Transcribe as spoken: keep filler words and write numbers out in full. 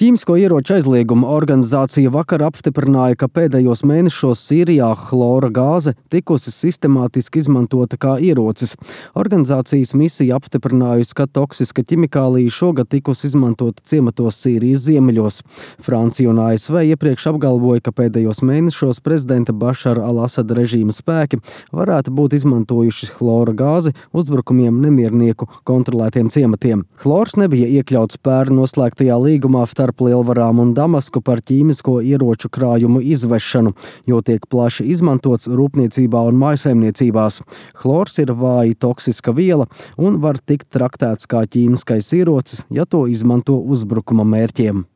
Ķīmisko ieroču aizlieguma organizācija vakar apstiprināja, ka pēdējos mēnešos Sīrijā hlora gāze tikusi sistemātiski izmantota kā ierocis. Organizācijas misija apstiprinājusi, ka toksiska ķimikālija šogad tikusi izmantota ciematos Sīrijas ziemeļos. Francija un A S V iepriekš apgalvoja, ka pēdējos mēnešos prezidenta Bašara al-Asada režīma spēki varētu būt izmantojuši hlora gāzi uzbrukumiem nemiernieku kontrolētiem ciematiem. Hlors nebija iekļauts pērn noslēgtajā līgumā starp Lielvarām un Damasku par ķīmisko ieroču krājumu izvešanu, jo tiek plaši izmantots rūpniecībā un mājsaimniecībās. Hlors ir vāji toksiska viela un var tikt traktēts kā ķīmiskais ierocis, ja to izmanto uzbrukuma mērķiem.